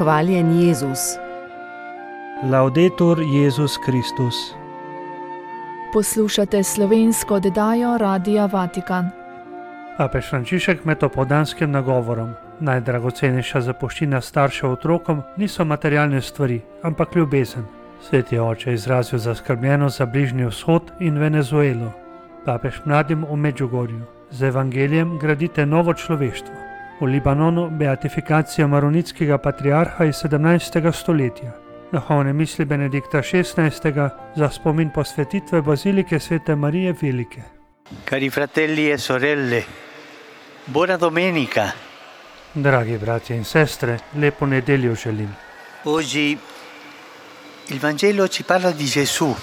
Hvaljen Jezus. Laudetur Jezus Kristus. Poslušate slovensko oddajo Radia Vatikan. Papež Frančišek med opoldanskim nagovorom: najdragocenejša zapuščina staršev otrokom niso materialne stvari, ampak ljubezen. Sveti oče je izrazil zaskrbljenost za Bližnji vzhod in Venezuelo. Papež mladim v Medjugorju: z evangelijem gradite novo človeštvo. V Libanonu beatifikacija maronitskega patriarha iz 17. stoletja. Duhovne misli Benedikta XVI. Za spomin posvetitve bazilike Svete Marije Velike. Cari fratelli e sorelle, buona domenica. Dragi bratje in sestre, lepo nedeljo želim. Oggi il Vangelo ci parla di Gesù,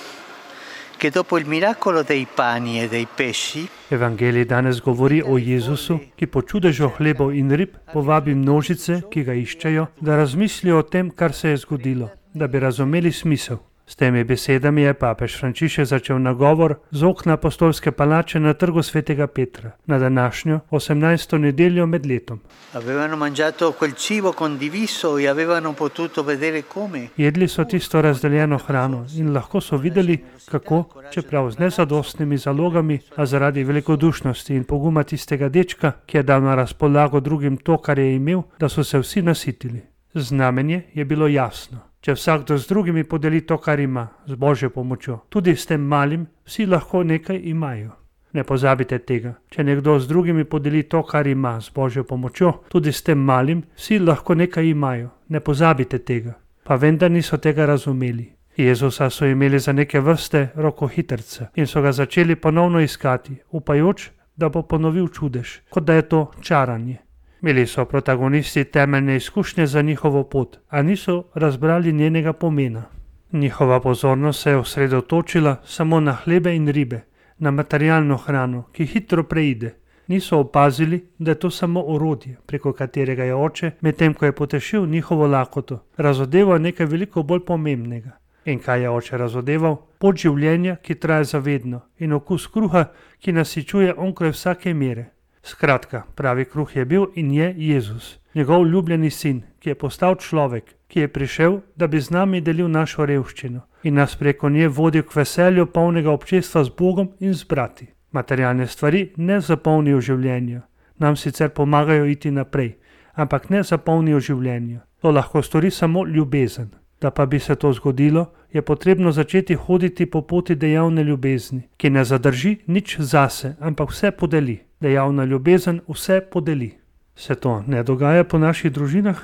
che dopo il miracolo dei pani e dei pesci, Evangelij danes govori o Jezusu, ki po čudežu hlebov in rib povabi množice, ki ga iščejo, da razmislijo o tem, kar se je zgodilo, da bi razumeli smisel. S temi besedami je papež Frančišek začel nagovor z okna apostolske palače na trgu svetega Petra, na današnjo 18. nedeljo med letom. avevano mangiato quel cibo condiviso e avevano potuto vedere come Jedli so tisto razdeljeno hrano in lahko so videli, kako, čeprav z nezadostnimi zalogami, a zaradi velikodušnosti in poguma tistega dečka, ki je dal na razpolago drugim to, kar je imel, da so se vsi nasitili. Znamenje je bilo jasno. Če vsakdo z drugimi podeli to, kar ima, z Božjo pomočjo, tudi s tem malim, vsi lahko nekaj imajo. Ne pozabite tega. Če nekdo z drugimi podeli to, kar ima, z Božjo pomočjo, tudi s tem malim, vsi lahko nekaj imajo. Ne pozabite tega. Pa vendar niso tega razumeli. Jezusa so imeli za neke vrste rokohitrca in so ga začeli ponovno iskati, upajoč, da bo ponovil čudež, kot da je to čaranje. Imeli so protagonisti temeljne izkušnje za njihovo pot, a niso razbrali njenega pomena. Njihova pozornost se je osredotočila samo na hlebe in ribe, na materialno hrano, ki hitro preide. Niso opazili, da je to samo orodje, preko katerega je oče, medtem ko je potešil njihovo lakoto, razodeval nekaj veliko bolj pomembnega. In kaj je oče razodeval? Pot življenja, ki traja zavedno, in okus kruha, ki nasičuje onkraj vsake mere. Skratka, pravi kruh je bil in je Jezus, njegov ljubljeni sin, ki je postal človek, ki je prišel, da bi z nami delil našo revščino in nas preko nje vodil k veselju polnega občestva z Bogom in z brati. Materialne stvari ne zapolnijo življenja, nam sicer pomagajo iti naprej, ampak ne zapolnijo življenja. To lahko stori samo ljubezen. Da pa bi se to zgodilo, je potrebno začeti hoditi po poti dejavne ljubezni, ki ne zadrži nič zase, ampak vse podeli. Dejavna ljubezen vse podeli. Se to ne dogaja po naših družinah?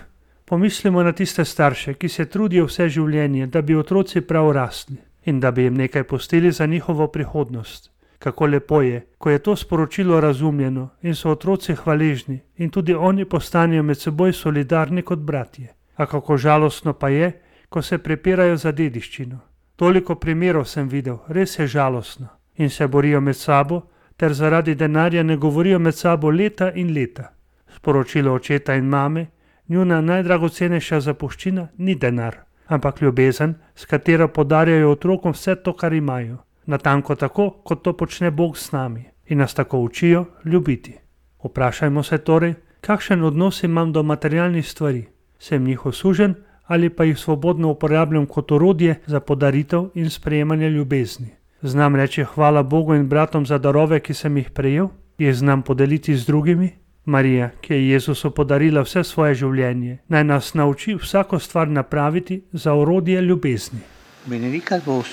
Pomislimo na tiste starše, ki se trudijo vse življenje, da bi otroci prav rasli in da bi jim nekaj pustili za njihovo prihodnost. Kako lepo je, ko je to sporočilo razumljeno in so otroci hvaležni in tudi oni postanejo med seboj solidarni kot bratje. A kako žalostno pa je, ko se prepirajo za dediščino. Toliko primerov sem videl, res je žalostno. In se borijo med sabo, ter zaradi denarja ne govorijo med sabo leta in leta. Sporočilo očeta in mame: njuna najdragocenejša zapuščina ni denar, ampak ljubezen, s katero podarjajo otrokom vse to, kar imajo. Natanko tako, kot to počne Bog s nami in nas tako učijo ljubiti. Vprašajmo se torej, kakšen odnos imam do materialnih stvari. Sem njih osužen ali pa jih svobodno uporabljam kot orodje za podaritev in sprejemanje ljubezni. Znam reči hvala Bogu in bratom za darove, ki sem jih prejel? Jih znam podeliti z drugimi? Marija, ki je Jezusu podarila vse svoje življenje, naj nas nauči vsako stvar napraviti za orodje ljubezni. benedicat vos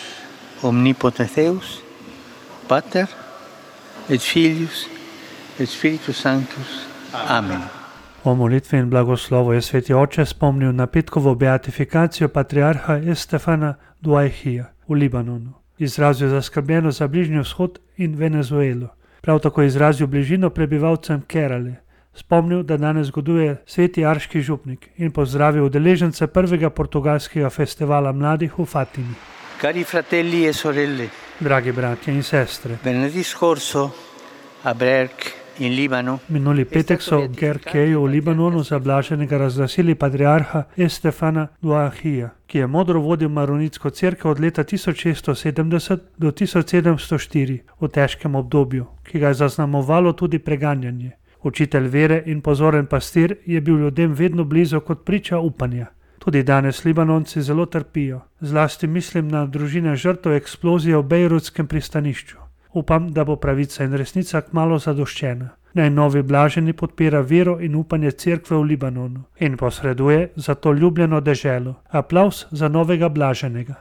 omnipotens Deus, Pater et Filius et Spiritus Sanctus. Amen. O molitvi in blagoslovu je sveti oče spomnil na petkovo beatifikacijo patriarha Estefana Duaihija v Libanonu. Izrazil zaskrbljenost za Bližnji vzhod in Venezuelo. Prav tako izrazil bližino prebivalcem Kerale. Spomnil, da danes zgoduje sveti arški župnik in pozdravil udeležence prvega portugalskega festivala mladih v Fatimi. Cari fratelli e sorelle, Dragi bratje in sestre, venerdì scorso a Berk in Libano minuli petek so v Gerkeju v Libanonu za blaženega razglasili patriarha Estefana Duaihija, ki je modro vodil maronitsko cerkev od leta 1670 do 1704 v težkem obdobju, ki ga je zaznamovalo tudi preganjanje. Učitelj vere in pozoren pastir je bil ljudem vedno blizu kot priča upanja. Tudi danes Libanonci zelo trpijo, zlasti mislim na družine žrtev eksplozije v bejrutskem pristanišču. Upam, da bo pravica in resnica kmalu zadoščena. Naj novi blaženi podpira vero in upanje cerkve v Libanonu in posreduje za to ljubljeno deželo. Aplavz za novega blaženega.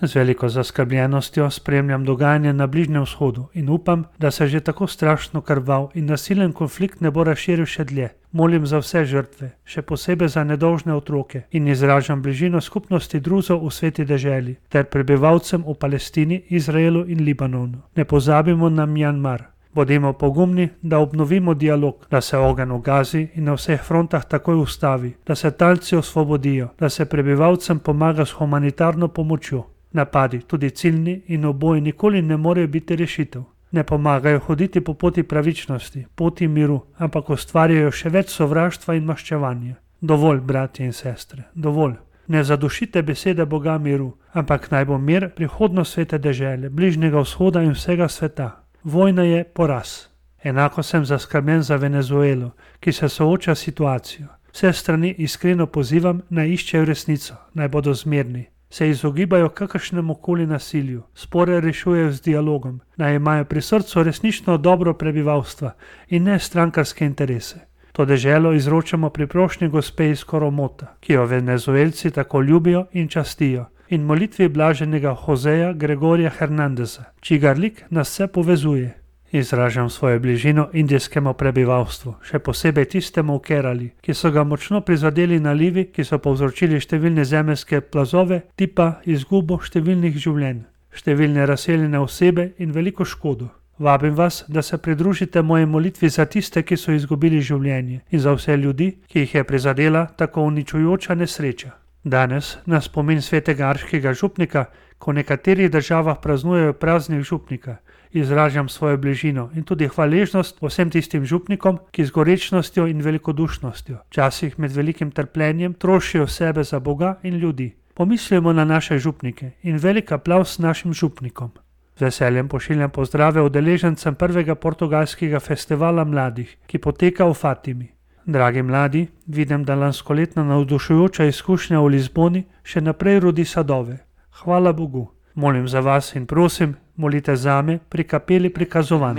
Z veliko zaskrbljenostjo spremljam dogajanje na Bližnjem vzhodu in upam, da se že tako strašno krvav in nasilen konflikt ne bo razširil še dlje. Molim za vse žrtve, še posebej za nedolžne otroke in izražam bližino skupnosti druzov v sveti deželi ter prebivalcem v Palestini, Izraelu in Libanonu. Ne pozabimo na Mjanmar. Bodimo pogumni, da obnovimo dialog, da se ogenj v Gazi in na vseh frontah takoj ustavi, da se talci osvobodijo, da se prebivalcem pomaga s humanitarno pomočjo. Napadi, tudi ciljni in oboji, nikoli ne morejo biti rešitev. Ne pomagajo hoditi po poti pravičnosti, poti miru, ampak ustvarjajo še več sovraštva in maščevanja. Dovolj, bratje in sestre, dovolj. Ne zadušite besede Boga miru, ampak naj bo mir prihodnost svete dežele, Bližnjega vzhoda in vsega sveta. Vojna je poraz. Enako sem zaskrbljen za Venezuelo, ki se sooča s situacijo. Vse strani iskreno pozivam, naj iščejo resnico, naj bodo zmerni. Se izogibajo kakršnemu koli nasilju, spore rešujejo z dialogom, naj imajo pri srcu resnično dobro prebivalstva in ne strankarske interese. To deželo izročamo pri prošnji gospe iz Koromota, ki jo Venezuelci tako ljubijo in častijo, in molitvi blaženega Joseja Gregorija Hernandeza, čigar lik nas vse povezuje. Izražam svojo bližino indijskemu prebivalstvu, še posebej tistemu v Kerali, ki so ga močno prizadeli nalivi, ki so povzročili številne zemeljske plazove, tipa izgubo številnih življenj, številne razseljene osebe in veliko škodo. Vabim vas, da se pridružite moje molitvi za tiste, ki so izgubili življenje in za vse ljudi, ki jih je prizadela tako uničujoča nesreča. Danes, na spomin svetega arškega župnika, ko v nekaterih državah praznujejo praznik župnika, izražam svojo bližino in tudi hvaležnost vsem tistim župnikom, ki z gorečnostjo in velikodušnostjo, včasih med velikim trpljenjem, trošijo sebe za Boga in ljudi. Pomislimo na naše župnike in velik aplavz našim župnikom. Z veseljem pošiljam pozdrave udeležencem prvega portugalskega festivala mladih, ki poteka v Fatimi. Dragi mladi, vidim, da lanskoletna navdušujoča izkušnja v Lizboni še naprej rodi sadove. Hvala Bogu. Molim za vas in prosim, molite zame pri kapeli prikazovanj.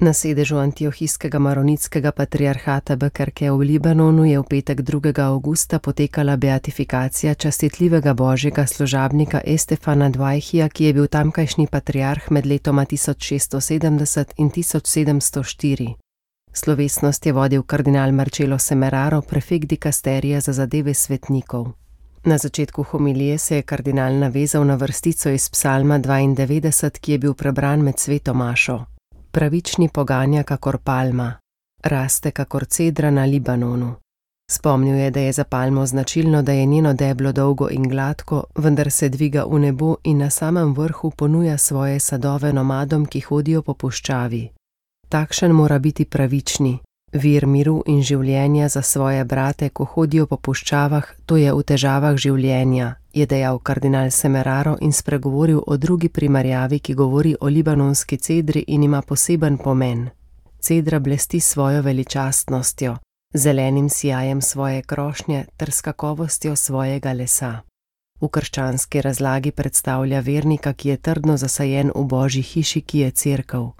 Na sedežu antiohijskega maronitskega patriarhata Bekerke v Libanonu je v petek 2. avgusta potekala beatifikacija častitljivega božjega služabnika Estefana Dvajhija, ki je bil tamkajšnji patriarh med letoma 1670 in 1704. Slovesnost je vodil kardinal Marcello Semeraro, prefekt dikasterija za zadeve svetnikov. Na začetku homilije se je kardinal navezal na vrstico iz psalma 92, ki je bil prebran med sveto mašo. Pravični poganja kakor palma, raste kakor cedra na Libanonu. Spomnil je, da je za palmo značilno, da je njeno deblo dolgo in gladko, vendar se dviga v nebo in na samem vrhu ponuja svoje sadove nomadom, ki hodijo po puščavi. Takšen mora biti pravični, vir miru in življenja za svoje brate, ko hodijo po puščavah, to je v težavah življenja, je dejal kardinal Semeraro in spregovoril o drugi primerjavi, ki govori o libanonski cedri in ima poseben pomen. Cedra blesti svojo veličastnostjo, zelenim sijajem svoje krošnje ter s kakovostjo svojega lesa. V krščanski razlagi predstavlja vernika, ki je trdno zasajen v Božji hiši, ki je cerkev.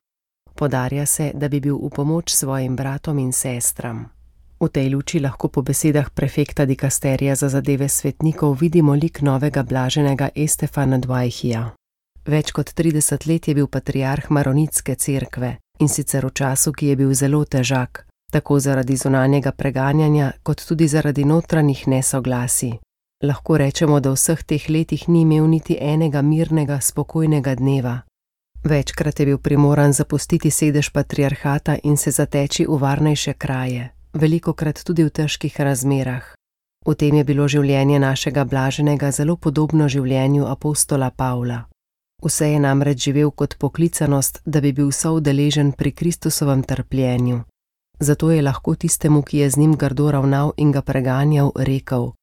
Podarja se, da bi bil v pomoč svojim bratom in sestram. V tej luči lahko po besedah prefekta dikasterija za zadeve svetnikov vidimo lik novega blaženega Estefana Dvajhija. Več kot 30 let je bil patriarh maronitske cerkve in sicer v času, ki je bil zelo težak, tako zaradi zunanjega preganjanja, kot tudi zaradi notranjih nesoglasij. Lahko rečemo, da v vseh teh letih ni imel niti enega mirnega, spokojnega dneva. Večkrat je bil primoran zapustiti sedež patriarhata in se zateči v varnejše kraje, velikokrat tudi v težkih razmerah. V tem je bilo življenje našega blaženega zelo podobno življenju apostola Pavla. Vse je namreč živel kot poklicanost, da bi bil soudeležen pri Kristusovem trpljenju. Zato je lahko tistemu, ki je z njim grdo ravnal in ga preganjal, rekel: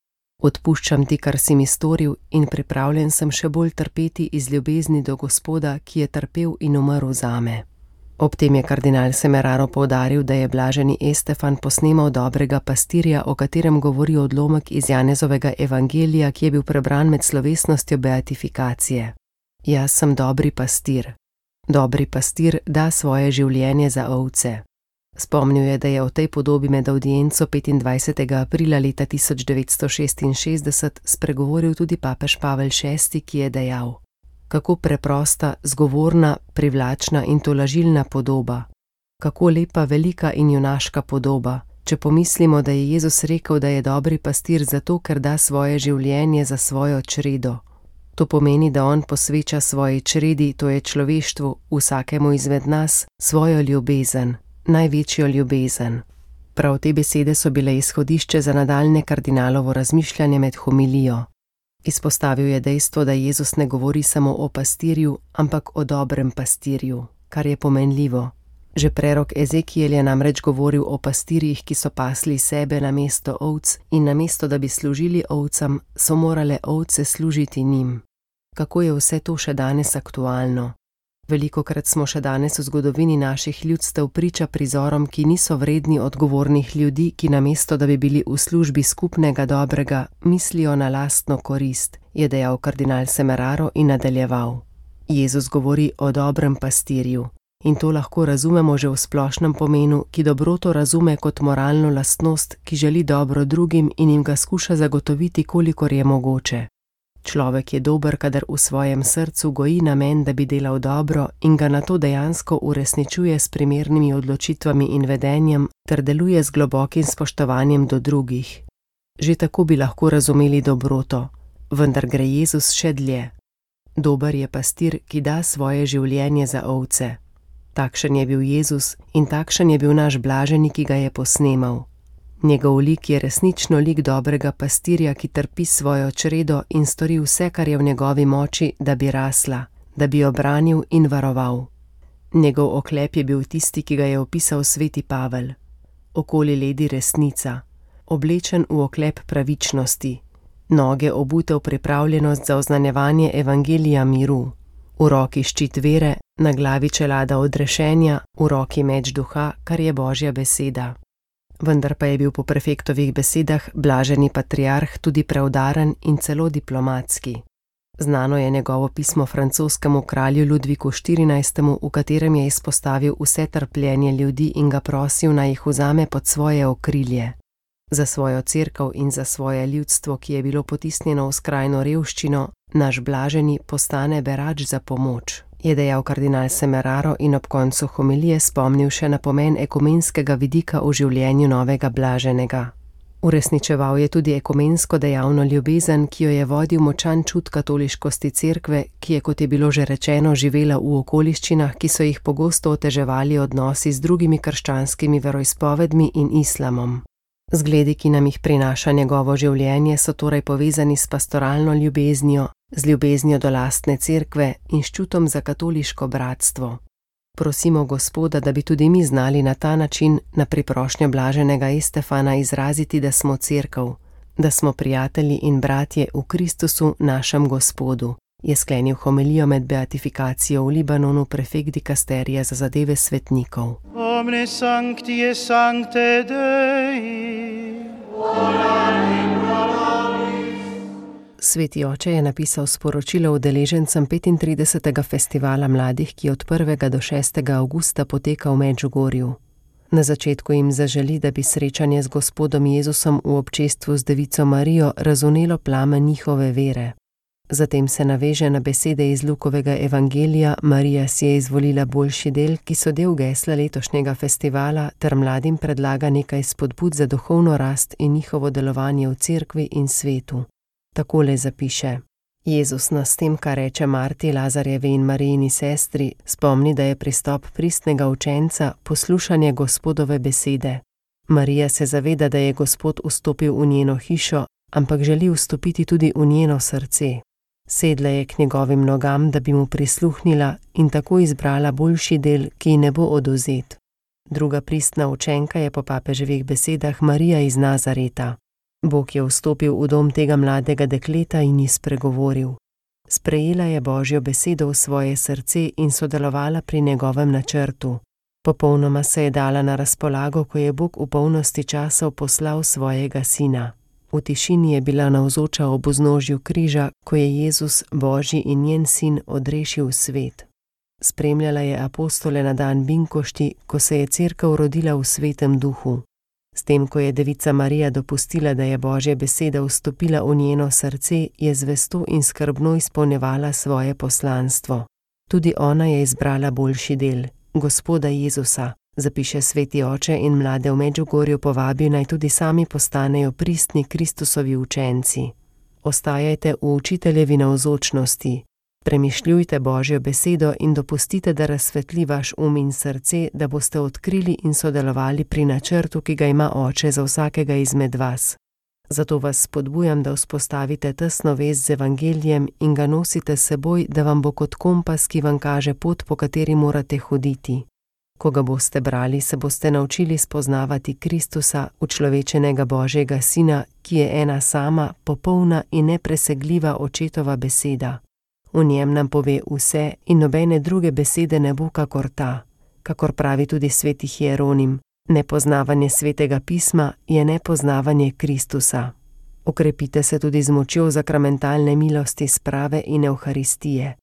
odpuščam ti, kar si mi storil, in pripravljen sem še bolj trpeti iz ljubezni do Gospoda, ki je trpel in umrl zame. Ob tem je kardinal Semeraro poudaril, da je blaženi Estefan posnemal dobrega pastirja, o katerem govori odlomek iz Janezovega evangelija, ki je bil prebran med slovesnostjo beatifikacije. Jaz sem dobri pastir. Dobri pastir da svoje življenje za ovce. Spomnil je, da je o tej podobi med avdienco 25. aprila leta 1966 spregovoril tudi papež Pavel VI, ki je dejal: kako preprosta, zgovorna, privlačna in tolažilna podoba. Kako lepa, velika in junaška podoba, če pomislimo, da je Jezus rekel, da je dobri pastir zato, ker da svoje življenje za svojo čredo. To pomeni, da on posveča svoji čredi, to je človeštvu, vsakemu izmed nas, svojo ljubezen, največjo ljubezen. Prav te besede so bile izhodišče za nadaljnje kardinalovo razmišljanje med homilijo. Izpostavil je dejstvo, da Jezus ne govori samo o pastirju, ampak o dobrem pastirju, kar je pomenljivo. Že prerok Ezekiel je namreč govoril o pastirjih, ki so pasli sebe namesto ovc in namesto, da bi služili ovcam, so morale ovce služiti njim. Kako je vse to še danes aktualno? Velikokrat smo še danes v zgodovini naših ljudstev priča prizorom, ki niso vredni odgovornih ljudi, ki namesto, da bi bili v službi skupnega dobrega, mislijo na lastno korist, je dejal kardinal Semeraro in nadaljeval. Jezus govori o dobrem pastirju. In to lahko razumemo že v splošnem pomenu, ki dobroto razume kot moralno lastnost, ki želi dobro drugim in jim ga skuša zagotoviti, kolikor je mogoče. Človek je dober, kadar v svojem srcu goji namen, da bi delal dobro in ga nato dejansko uresničuje s primernimi odločitvami in vedenjem ter deluje z globokim spoštovanjem do drugih. Že tako bi lahko razumeli dobroto, vendar gre Jezus še dlje. Dober je pastir, ki da svoje življenje za ovce. Takšen je bil Jezus in takšen je bil naš blaženi, ki ga je posnemal. Njegov lik je resnično lik dobrega pastirja, ki trpi svojo čredo in stori vse, kar je v njegovi moči, da bi rasla, da bi jo branil in varoval. Njegov oklep je bil tisti, ki ga je opisal sveti Pavel. Okoli ledi resnica, oblečen v oklep pravičnosti, noge obute v pripravljenost za oznanjevanje evangelija miru, v roki ščit vere, na glavi čelada odrešenja, v roki meč duha, kar je Božja beseda. Vendar pa je bil po prefektovih besedah blaženi patriarh tudi preudaren in celo diplomatski. Znano je njegovo pismo francoskemu kralju Ludviku XIV., v katerem je izpostavil vse trpljenje ljudi in ga prosil, naj jih vzame pod svoje okrilje. Za svojo cerkev in za svoje ljudstvo, ki je bilo potisnjeno v skrajno revščino, naš blaženi postane berač za pomoč, je dejal kardinal Semeraro in ob koncu homilije spomnil še na pomen ekumenskega vidika v življenju novega blaženega. Uresničeval je tudi ekumensko dejavno ljubezen, ki jo je vodil močan čut katoliškosti cerkve, ki je, kot je bilo že rečeno, živela v okoliščinah, ki so jih pogosto oteževali odnosi z drugimi krščanskimi veroizpovedmi in islamom. Zgledi, ki nam jih prinaša njegovo življenje, so torej povezani s pastoralno ljubeznijo, z ljubeznijo do lastne cerkve in s čutom za katoliško bratstvo. Prosimo Gospoda, da bi tudi mi znali na ta način na priprošnjo blaženega Estefana izraziti, da smo cerkev, da smo prijatelji in bratje v Kristusu, našem Gospodu, je sklenil homilijo med beatifikacijo v Libanonu prefekt dikasterija za zadeve svetnikov. Omne sancti et sancte Dei, Sveti oče je napisal sporočilo udeležencem 35. festivala mladih, ki od 1. do 6. avgusta poteka v Medžugorju. Na začetku jim zaželi, da bi srečanje z Gospodom Jezusom v občestvu z Devico Marijo razvnelo plamen njihove vere. Zatem se naveže na besede iz Lukovega evangelija: Marija si je izvolila boljši del, ki so del gesla letošnjega festivala, ter mladim predlaga nekaj spodbud za duhovno rast in njihovo delovanje v cerkvi in svetu. Takole zapiše: Jezus nas s tem, kar reče Marti, Lazarjevi in Marijini sestri, spomni, da je pristop pristnega učenca poslušanje Gospodove besede. Marija se zaveda, da je Gospod vstopil v njeno hišo, ampak želi vstopiti tudi v njeno srce. Sedla je k njegovim nogam, da bi mu prisluhnila in tako izbrala boljši del, ki ji ne bo odvzet. Druga pristna učenka je po papeževih besedah Marija iz Nazareta. Bog je vstopil v dom tega mladega dekleta in ji spregovoril. Sprejela je Božjo besedo v svoje srce in sodelovala pri njegovem načrtu. Popolnoma se je dala na razpolago, ko je Bog v polnosti časov poslal svojega sina. V tišini je bila navzoča ob vznožju križa, ko je Jezus, Božji in njen sin, odrešil svet. Spremljala je apostole na dan binkošti, ko se je cerkev rodila v svetem duhu. S tem, ko je devica Marija dopustila, da je Božja beseda vstopila v njeno srce, je zvesto in skrbno izpolnjevala svoje poslanstvo. Tudi ona je izbrala boljši del, Gospoda Jezusa, zapiše sveti oče in mlade v Medžugorju povabi, naj tudi sami postanejo pristni Kristusovi učenci. Ostajajte v učiteljevi navzočnosti. Premišljujte Božjo besedo in dopustite, da razsvetli vaš in srce, da boste odkrili in sodelovali pri načrtu, ki ga ima Oče za vsakega izmed vas. Zato vas spodbujam, da vzpostavite tesno vez z evangelijem in ga nosite s seboj, da vam bo kot kompas, ki vam kaže pot, po kateri morate hoditi. Ko ga boste brali, se boste naučili spoznavati Kristusa, učlovečenega Božjega Sina, ki je ena sama, popolna in nepresegljiva očetova beseda. V njem nam pove vse in nobene druge besede ne bo kakor ta. Kakor pravi tudi sveti Hieronim, nepoznavanje svetega pisma je nepoznavanje Kristusa. Okrepite se tudi z močjo zakramentalne milosti, sprave in evharistije.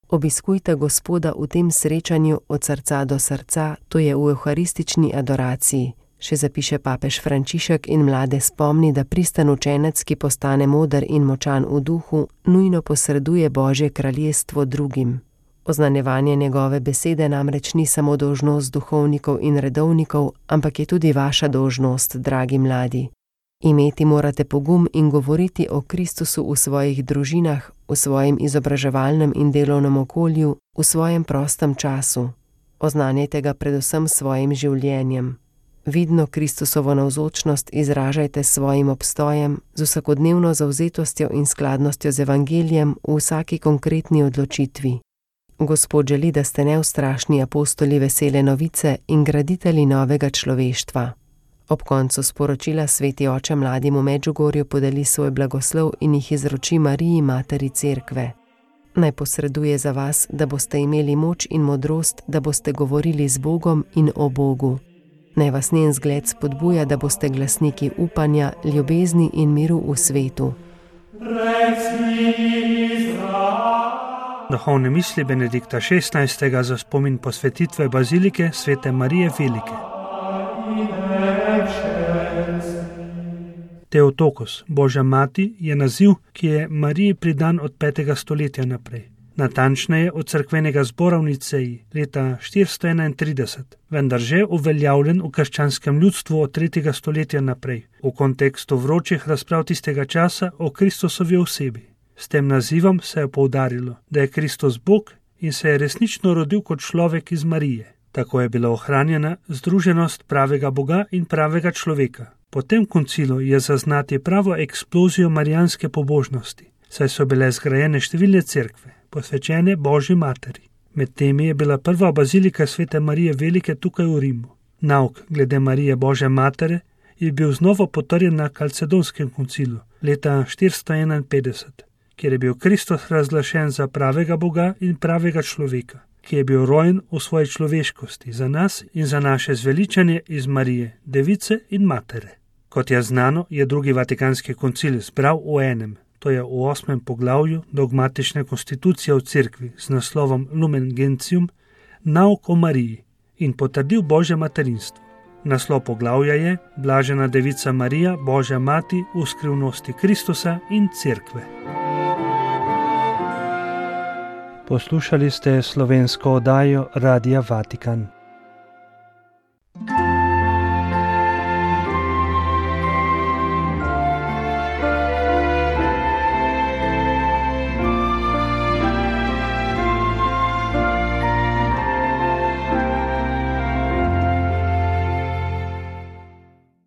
Obiskujte Gospoda v tem srečanju od srca do srca, to je v evharistični adoraciji. Še zapiše papež Frančišek in mlade spomni, da pristan učenec, ki postane moder in močan v duhu, nujno posreduje Božje kraljestvo drugim. Oznanjevanje njegove besede namreč ni samo dolžnost duhovnikov in redovnikov, ampak je tudi vaša dolžnost, dragi mladi. Imeti morate pogum in govoriti o Kristusu v svojih družinah, v svojem izobraževalnem in delovnem okolju, v svojem prostem času. Oznanjajte ga predvsem svojim življenjem. Vidno Kristusovo navzočnost izražajte s svojim obstojem, z vsakodnevno zavzetostjo in skladnostjo z evangelijem v vsaki konkretni odločitvi. Gospod želi, da ste neustrašni apostoli vesele novice in graditelji novega človeštva. Ob koncu sporočila sveti oče mladim v Medžugorju podeli svoj blagoslov in jih izroči Mariji, materi cerkve. Naj posreduje za vas, da boste imeli moč in modrost, da boste govorili z Bogom in o Bogu. Naj vas njen zgled spodbuja, da boste glasniki upanja, ljubezni in miru v svetu. Duhovne misli Benedikta XVI. Za spomin posvetitve bazilike svete Marije Velike. Theotokos, Božja mati, je naziv, ki je Mariji pridan od 5. stoletja naprej. Natančneje od cerkvenega zbora v Niceji leta 431, vendar že uveljavljen v krščanskem ljudstvu od 3. stoletja naprej, v kontekstu vročih razprav tistega časa o Kristusovi osebi. S tem nazivom se je poudarilo, da je Kristus Bog in se je resnično rodil kot človek iz Marije. Tako je bila ohranjena združenost pravega Boga in pravega človeka. Po tem koncilu je zaznati pravo eksplozijo marijanske pobožnosti, saj so bile zgrajene številne cerkve, posvečene Božji materi. Med temi je bila prva bazilika svete Marije Velike tukaj v Rimu. Nauk glede Marije Božje matere je bil znova potrjen na Kalcedonskem koncilu leta 451, kjer je bil Kristus razglašen za pravega Boga in pravega človeka, ki je bil rojen v svoji človeškosti za nas in za naše zveličanje iz Marije, device in matere. Kot je znano, je drugi Vatikanski koncil zbral v enem, to je v 8. poglavju dogmatične konstitucije v cerkvi z naslovom Lumen Gentium, nauk o Mariji in potrdil Božje materinstvo. Naslov poglavja je Blažena devica Marija, Božja mati v skrivnosti Kristusa in cerkve. Poslušali ste slovensko oddajo Radia Vatikan.